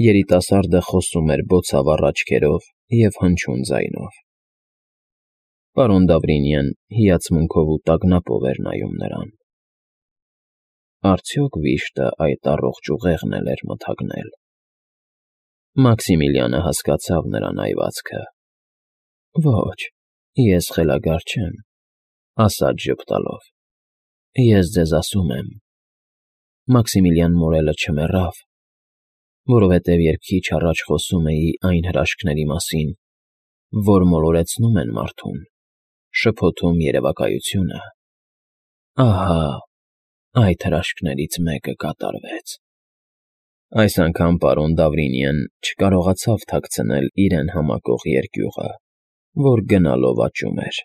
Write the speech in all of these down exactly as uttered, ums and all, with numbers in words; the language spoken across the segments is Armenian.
Երիտասարդը խոսում էր բոցավառ աչքերով և հնչյուն ձայնով։ Պարոն Դավրինյան հիացմունքով ու տագնապով էր նայում նրան։ Արդյոք վիշտը այդ առողջ ուղեղն էլ էր մթագնել։ Մաքսիմիլիանը հասկացավ նրա նայվածքը։ Ոչ, ես խելագար չեմ, ասաց ժպտալով։ Ես ձեզ ասում եմ. Մաքսիմիլիան Մորելը չմեռավ, որովհետև երբ քիչ առաջ խոսում էի այն հրաշքների մասին, որ մոլորեցնում են մարդուն, շփոթում երևակայությունը, ահա այդ հրաշքներից մեկը կատարվեց։ Այս անգամ պարոն Դավրինյան չկարողացավ թաքցնել իրեն համակող երկյուղը, որ գնալով աճում էր։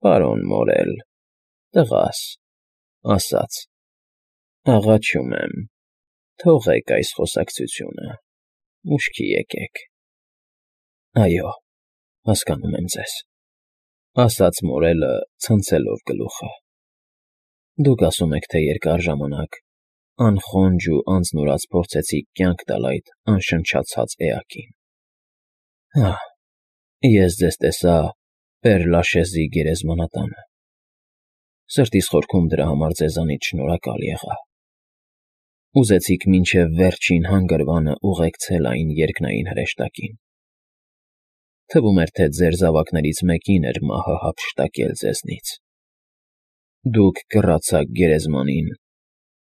Պարոն Մորել, տղաս, ասաց. աղաչում եմ, թողեք այս խոսակցությունը, ուշքի եկեք։ Այո, հասկանում եմ ձեզ, ասաց Մորելը, ցնցելով գլուխը։ Դուք ասում եք, թե երկար ժամանակ անխոնջ ու անձնուրաց փորձեցիք կյանք տալ այդ անշնչացած էակին։ Հա, ես ձեզ տեսա Պեր֊Լաշեզի գերեզմանատանը։ Սրտիս խորքում դրա համար ձեզանից շնորհակալ եղա։ Ուզեցիք մինչև վերջին հանգրվանը ուղեկցել այն երկնային հրեշտակին։ Թվում էր, թե ձեր զավակներից մեկին էր մահը հափշտակել ձեզնից։ Դուք կռացաք գերեզմանին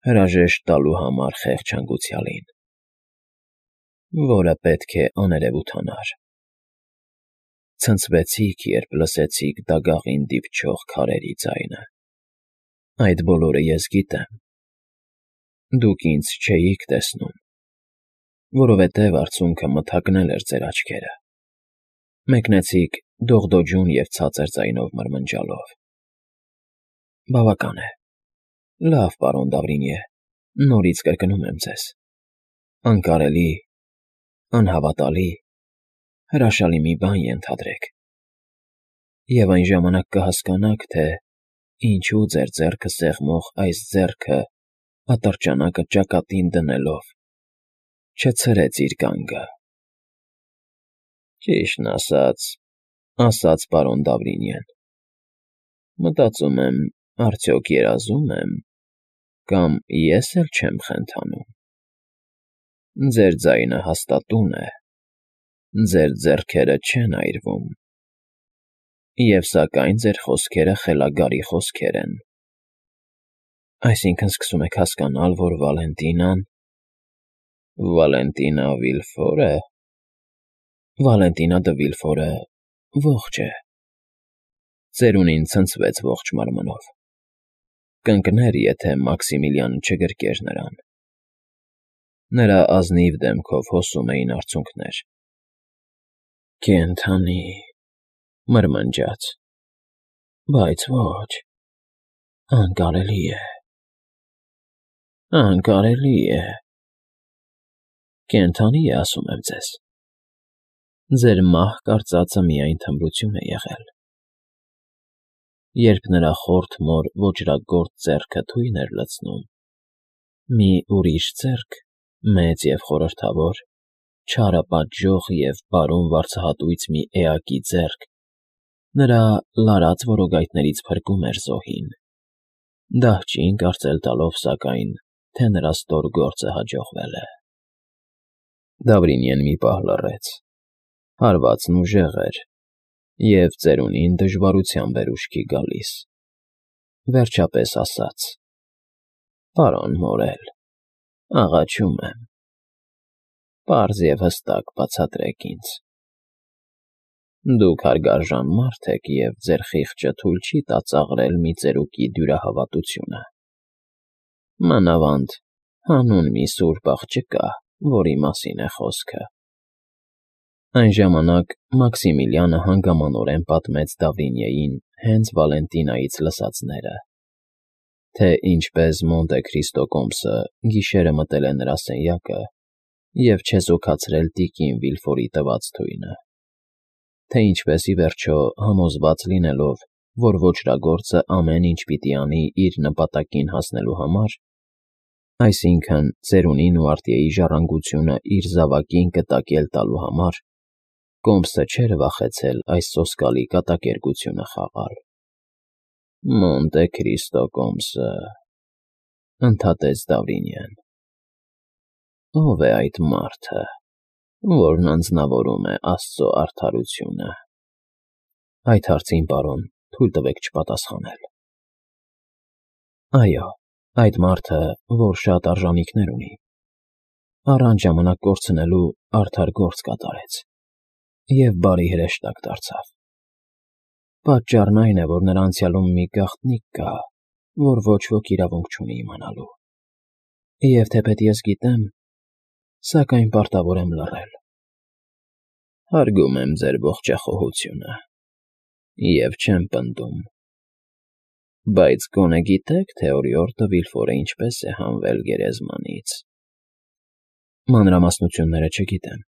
հրաժեշտ տալու համար խեղճ հանգուցյալին, որը պետք է աներևութանար։ Ցնցվեցիք, երբ լսեցիք դագաղին դիպչող քարերի ձայնը։ Այդ բոլորը ես գիտեմ։ Դուք ինձ չէիք տեսնում, որովհետև արցունքը մթագնել էր ձեր աչքերը։ Մեկնեցիք դողդոջուն և ցածր ձայնով մրմնջալով։ Բավական է։ Լավ, պարոն Դավրինյե, նորից կրկնում եմ ձեզ. անկարելի, անհավատալի, հրաշալի մի բան ենթադրեք։ Եվ այն ժամանակ կհասկանաք, թե ինչու ձեր ձեռքը սեղմող այս ձեռքը ատրճանակը ճակատին դնելով չցրեց իր կանգը։ Ճիշտն ասած, ասաց պարոն Դավրինյան, մտածում եմ, արդյոք երազում եմ, կամ ես էլ չեմ խենթանում։ Ձեր ձայնը հաստատուն է, ձեր ձեռքերը չեն այրվում, և սակայն ձեր խոսքերը խելագարի խոսքեր են։ Այսինքն սկսում եք հասկանալ, որ Վալենտինան… Վալենտինա Վիլֆո՞րը… Վալենտինա դը Վիլֆորը ողջ է։ Ծերունին ցնցվեց ողջ մարմնով։ Կընկներ, եթե Մաքսիմիլիանը չգրկեր նրան։ Նրա ազնիվ դեմքով հոսում էին արցունքներ։ Կենդանի… մրմնջաց, բայց ոչ… անկարելի է… անկարելի է… Կենդանի է, ասում եմ ձեզ… Ձեր մահ կարծածը միայն թմրություն է եղել։ Երբ նրա խորթ մոր ոճրագործ ձեռքը թույն էր լցնում, մի ուրիշ ձեռք, մեծ և խորհրդավոր, չարապատժող և բարուն վարձահատույց մի էակի ձեռք, նրա լարած որոգայթներից փրկում էր զոհին, դահճին կարծել տալով, սակայն, թե նրա ստոր գործը հաջողվել է։ Դավրինյան մի պահ լռեց։ Հարվածն ուժեղ էր, և ծերունին դժվարությամբ էր ուշքի գալիս։ Վերջապես ասաց. Պարոն Մորել, աղաչում եմ, պարզ և հստակ բացատրեք ինձ։ Դուք հարգարժան մարդ եք, և ձեր խիղճը թույլ չի տա ծաղրել մի ծերուկի դյուրահավատությունը։ Մանավանդ հանուն մի սուրբ աղջկա, որի մասին է խոսքը։ Այն ժամանակ Մաքսիմիլիանը հանգամանորեն պատմեց Դավրինյեին հենց Վալենտինայից լսածները, թե ինչպես Մոնտե Քրիստո կոմսը գիշերը մտել է նրա սենյակը և չեզոքացրել տիկին Վիլֆորի տված թույնը, թե ինչպես, ի վերջո, համոզված լինելով, որ ոճրագործը ամեն ինչ պիտի անի իր նպատակին հասնելու համար, Այսինքն՝ ծերունին ու արտիեի ժառանգությունը իր զավակին կտակել տալու համար Կոմսը չէր վախեցել այս սոսկալի կատակերգությունը խաղալ։ «Մոնտե Քրիստո Կոմսը», ընդհատեց Դավրինյան։ Ո՞վ է այդ մարդը, որն անձնավորում է աստծո արդարությունը։ Այդ հարցին, պարոն, թույլ տվեք չպատասխանել։ Այո, այդ մարդը, որ շատ արժանինքներ ունի, առանց ժամանակ կորցնելու արդար գործ կատարեց և բարի հրեշտակ դարձավ։ Պատճառն այն է, որ նրա անցյալում մի գաղտնիք կա, որ ոչ ոք իրավունք չունի իմանալու։ Եվ թեպետ ես գիտեմ, սակայն պարտավոր եմ լռել։ Հարգում եմ ձեր ողջախոհությունը և չեմ պնդում։ Բայց գոնե գիտե՞ք, թե օրիորդը Վիլֆորը ինչպես է հանվել գերեզմանից։ Մանրամասնությունները չգիտեմ։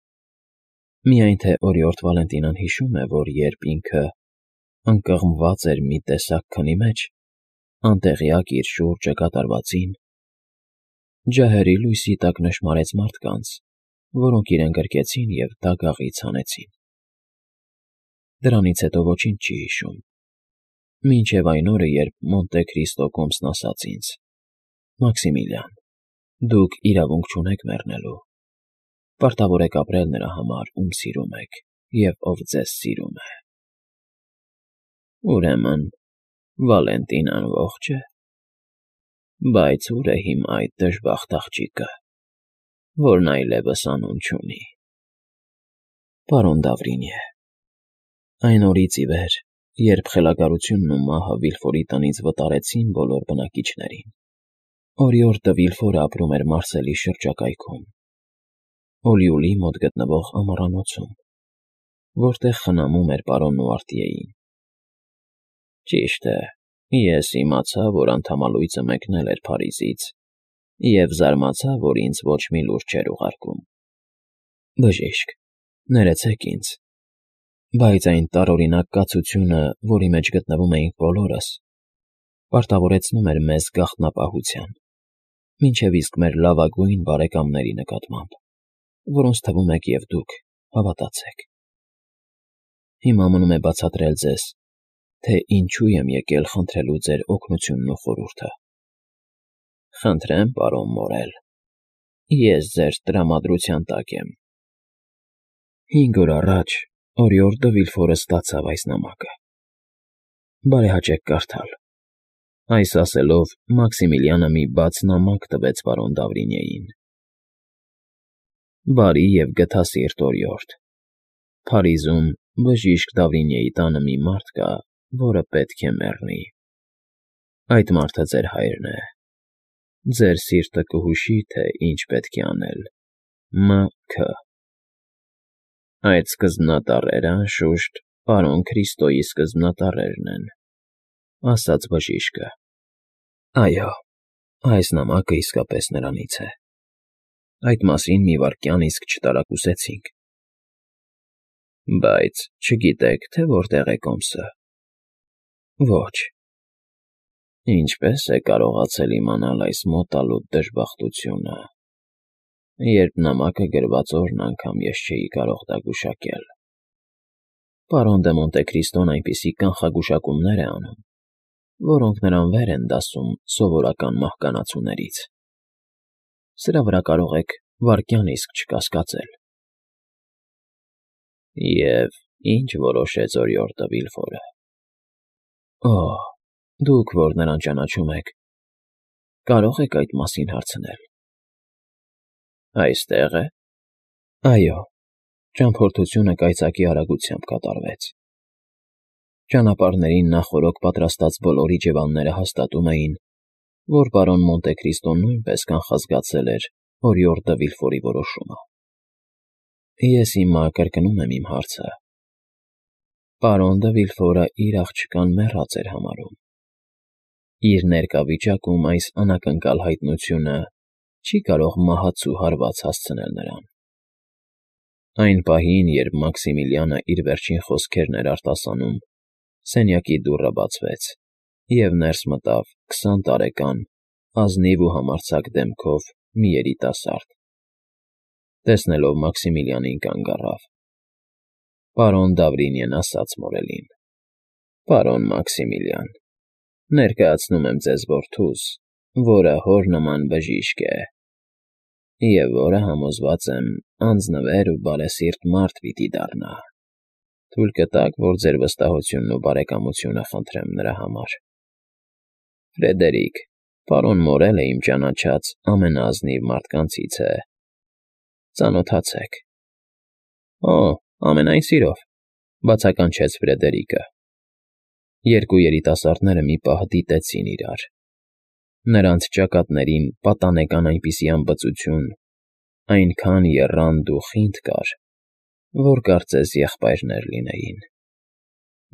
Միայն թե օրիորդ Վալենտինան հիշում է, որ երբ ինքը ընկղմված էր մի տեսակ քնի մեջ, անտեղյակ իր շուրջը կատարվածին, ջահերի լույսի տակ նշմարեց մարդկանց, որոնք իրեն գրկեցին և դագաղից հանեցին։ Դրանից հետո ոչինչ չի հիշում, մինչև այն օրը, երբ Մոնտե Քրիստո Կոմսն ասաց ինձ. «Մաքսիմիլիան, դուք իրավունք չունեք մեռնելու, պարտավոր եք ապրել նրա համար, ում սիրում եք և ով ձեզ սիրում է»։ Ուրեմն Վալենտինան ողջ է։ Բայց ո՞ւր է հիմա այդ դժբախտ աղջիկը, որն այլևս անուն չունի։ Պարոն Դավրինյե, այն օրից ի վեր, երբ խելագարությունն ու մահը Վիլֆորի տնից վտարեցին բոլոր բնակիչներին, օրիորդ դը Վիլֆորը ապրում էր Մարսելի շրջակայքում, Օլիուլի մոտ գտնվող ամառանոցում, որտեղ խնամում էր պարոնն ու արտիեին։ Ճիշտ է, ես իմացա, որ անդամալույցը մեկնել էր Փարիզից և զարմացա, որ ինձ ոչ մի լուր չէր ուղարկում։ Բժիշկ, ներեցեք ինձ, բայց այն տարօրինակ կացությունը, որի մեջ գտնվում էինք բոլորս, պարտավորեցնում էր մեզ գաղտնապահության, մինչև իսկ մեր լավագույն բարեկամների նկատմամբ, որոնց թվում եք և դուք, հավատացեք։ Հիմա մնում է բացատրել ձեզ, թե ինչու եմ եկել խնդրելու ձեր օգնությունն ու խորհուրդը։ Խնդրեմ, պարոն Մորել, ես ձեր տրամադրության տակ եմ։ Հինգ օր առաջ օրիորդ դը Վիլֆորը ստացավ այս նամակը։ Բարեհաճեք կարդալ։ Այս ասելով Մաքսիմիլիանը մի բաց նամակ տվեց պարոն Դավրինյեին։ Բարի և գթասիրտ օրիորդ, Փարիզում բժիշկ Դավրինյեի տանը մի մարդ կա, որը պետք է մեռնի։ Այդ մարդը ձեր հայրն է։ Ձեր սիրտը կհուշի, թե ինչ պետք է անել։ Մ. Ք. Այդ սկզբնատառերը, անշուշտ, պարոն Քրիստոյի սկզբնատառերն են, ասաց բժիշկը։ Այո, այս նամակը իսկապես նրանից է։ Այդ մասին մի վայրկյան իսկ չտարակուսեցինք։ Բայց չգիտեք, թե որտեղ է Կոմսը։ Ոչ։ Ինչպե՞ս է կարողացել իմանալ այս մոտալուտ դժբախտությունը, երբ նամակը գրված օրն անգամ ես չէի կարող դա գուշակել։ Պարոն դե Մոնտե Քրիստոն այնպիսի կանխագուշակումներ է անում, որոնք նրան վեր են դասում սովորական մահկանացուներից։ Սրա վրա կարող եք վայրկյան իսկ չկասկածել։ Եվ ի՞նչ որոշեց օրիորդը Վիլֆորը։ Օ, դուք, որ նրան ճանաչում եք, կարող եք այդ մասին հարցնել։ Այստե՞ղ է։ Այո, ճամփորդությունը կայծակի արագությամբ կատարվեց։ Ճանապարհներին նախօրոք պատրաստած բոլոր իջևանները հաստատում էին, որ պարոն Մոնտե Քրիստոն նույնպես կանխազգացել էր օրիորդ դը Վիլֆորի որոշումը։ Ես հիմա կրկնում եմ իմ հարցը։ Պարոն դը Վիլֆորը իր աղջկան մեռած էր համարում։ Իր ներկա վիճակում այս անակնկալ հայտնությունը չի կարող մահացու հարված հասցնել նրան։ Այն պահին, երբ Մաքսիմիլիանը իր վերջին խոսքերն էր արտասանում, սենյակի դուռը բացվեց, և ներս մտավ քսան տարեկան ազնիվ ու համարձակ դեմքով մի երիտասարդ։ Տեսնելով Մաքսիմիլիանին կանգ առավ։ Պարոն Դավրինյեն ասաց մորելին. «Պարոն Մաքսիմիլիան, ներկայացնում եմ ձեզ որդուս, որը հոր նման բժիշկ է, և որը, համոզված եմ, անձնվեր ու բարեսիրտ մարդ պիտի դառնա։ Թույլ կտա՞ք, որ ձեր վստահությունն ու բարեկամությունը խնդրեմ նրա համար։ Ֆրեդերիկ, պարոն Մորելը իմ ճանաչած ամենաազնիվ մարդկանցից է։ Ծանոթացեք»։ «Օ, ամենայն սիրով», բացականչեց Ֆրեդերիկը։ Երկու երիտասարդները մի պահ դիտեցին իրար։ Նրանց ճակատներին պատանեկան այնպիսի անբծություն, այնքան եռանդ ու խինդ կար, որ կարծես եղբայրներ լինեին։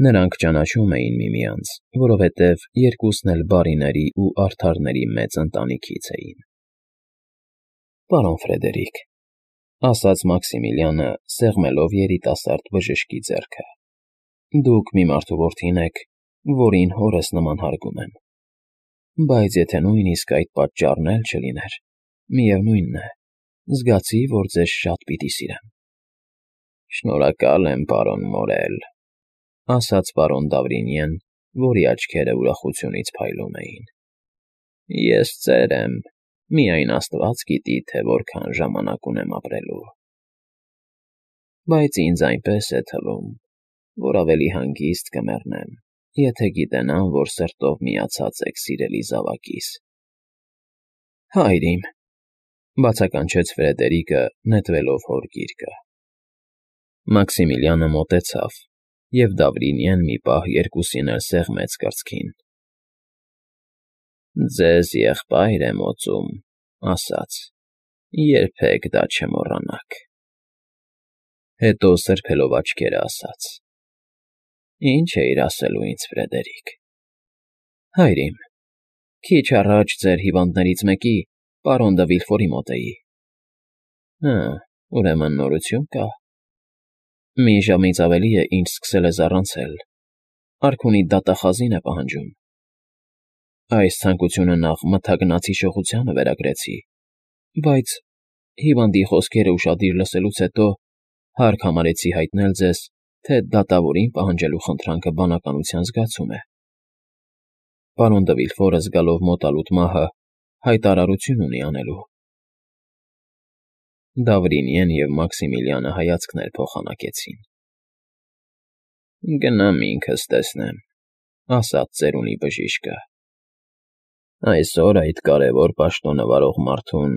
Նրանք ճանաչում էին միմյանց, որովհետև երկուսն էլ բարիների ու արդարների մեծ ընտանիքից էին։ «Պարոն Ֆրեդերիկ», ասաց Մաքսիմիլիանը, սեղմելով երիտասարդ բժշկի ձեռքը, «դուք մի մարդու որդին եք, որին հորս նման հարգում եմ, բայց եթե նույնիսկ այդ պատճառն էլ չլիներ, միևնույն է, զգացի, որ ձեզ շատ պիտի սիրեմ»։ «Շնորհակալ եմ, պարոն Մորել», ասաց պարոն Դավրինյեն, որի աչքերը ուրախությունից փայլում էին։ «Ես ծեր եմ, միայն Աստված գիտի, թե որքան ժամանակ ունեմ ապրելու։ Բայց ինձ այնպես է թվում, որ ավելի հանգիստ կմեռնեմ, եթե գիտենամ, որ սրտով միացած եք սիրելի զավակիս»։ «Հայր իմ», բացականչեց Ֆրեդերիկը, նետվելով հոր գիրկը։ Մաքսիմիլիանը մոտեցավ, և Դավրինյեն մի պահ երկուսին էլ սեղմեց կրծքին։ «Ձեզ եղբայր եմ օծում», ասաց, «երբեք դա չմոռանաք»։ Հետո սրբելով աչքերը ասաց. «Ինչ էիր ասելու ինձ, Ֆրեդերիկ»։ «Հայր իմ, քիչ առաջ ձեր հիվանդներից մեկի, պարոն դը Վիլֆորի մոտ էի»։ «Հը, ուրեմն նորություն կա»։ «Մի ժամից ավելի է, ինչ սկսել է զառանցել, արքունիդ դատախազին է պահանջում։ Այս ցանկությունը նախ մթագնացի շողությանը վերագրեցի, բայց հիվանդի խոսքերը ուշադիր լսելուց հետո հարկ համարեցի հայտնել ձեզ, թե դատավորին պահանջելու խնդրանքը բանականության զգացում է։ Պարոն դը Վիլֆորը, զգալով մոտալուտ մահը, հայտարարություն ունի անելու»։ Դավրինյեն և Մաքսիմիլիանը հայացքներ փոխանակեցին։ «Գնամ ինքս տեսնեմ», ասաց ծերունի բժիշկը։ «Այսօր այդ կարևոր պաշտոնը վարող մարդուն,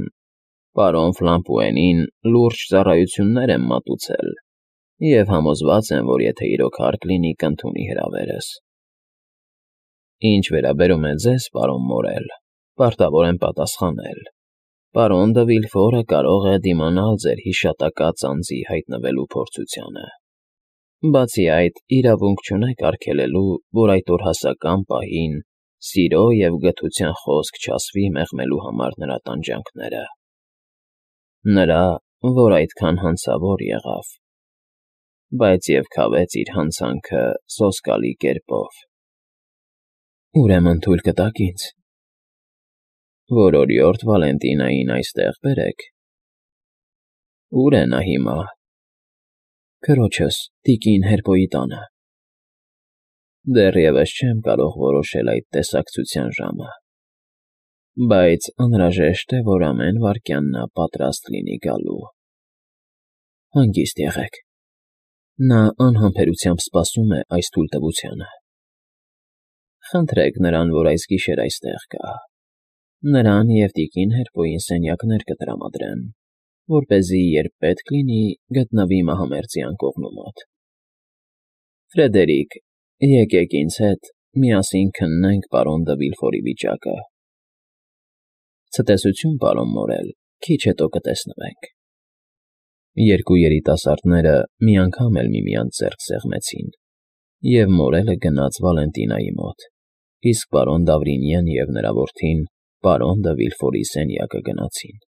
պարոն Ֆլամպուենին, լուրջ ծառայություններ եմ մատուցել և համոզված եմ, որ եթե իրոք հարկ լինի, կընդունի հրավերս։ Ինչ վերաբերում է ձեզ, պարոն Մորել, պարտավոր եմ պատասխանել. պարոն դը Վիլֆորը կարող է դիմանալ ձեր հիշատակած անձի հայտնվելու փորձությանը։ Բացի այդ, իրավունք չունեք արգելելու, որ այդ օրհասական պահին սիրո և գթության խոսք չասվի մեղմելու համար նրա տանջանքները։ Նրա, որ այդքան հանցավոր եղավ, բայց և քավեց իր հանցանքը սոսկալի կերպով»։ «Ուրեմն թույլ կտաք ինձ»։ «Որ օրիորդ Վալենտինային այստեղ բերեք»։ «Ո՞ւր է նա հիմա»։ «Քրոջս, տիկին Հերբոյի տանը»։ «Դեռևս չեմ կարող որոշել այդ տեսակցության ժամը, բայց անհրաժեշտ է, որ ամեն վայրկյան նա պատրաստ լինի գալու»։ «Հանգիստ եղեք, նա անհամբերությամբ սպասում է այս թույլտվությանը»։ «Խնդրեք նրան, որ այս գիշեր այստեղ գա։ Նրան և տիկին Հերբոյին սենյակներ կտրամադրեմ, որպեսզի, երբ պետք լինի, գտնվի մահամերձի անկողնու մոտ։ Ֆրեդերիկ, եկեք ինձ հետ, միասին քննենք պարոն դը Վիլֆորի վիճակը»։ «Ցտեսություն, պարոն Մորել, քիչ հետո կտեսնվենք»։ Երկու երիտասարդները մի անգամ էլ միմյանց ձեռք սեղմեցին, և Մորելը գնաց Վալենտինայի մոտ, իսկ պարոն Դավրինյեն և նրա որդին պարոն դը Վիլֆորի սենյակը գնացին։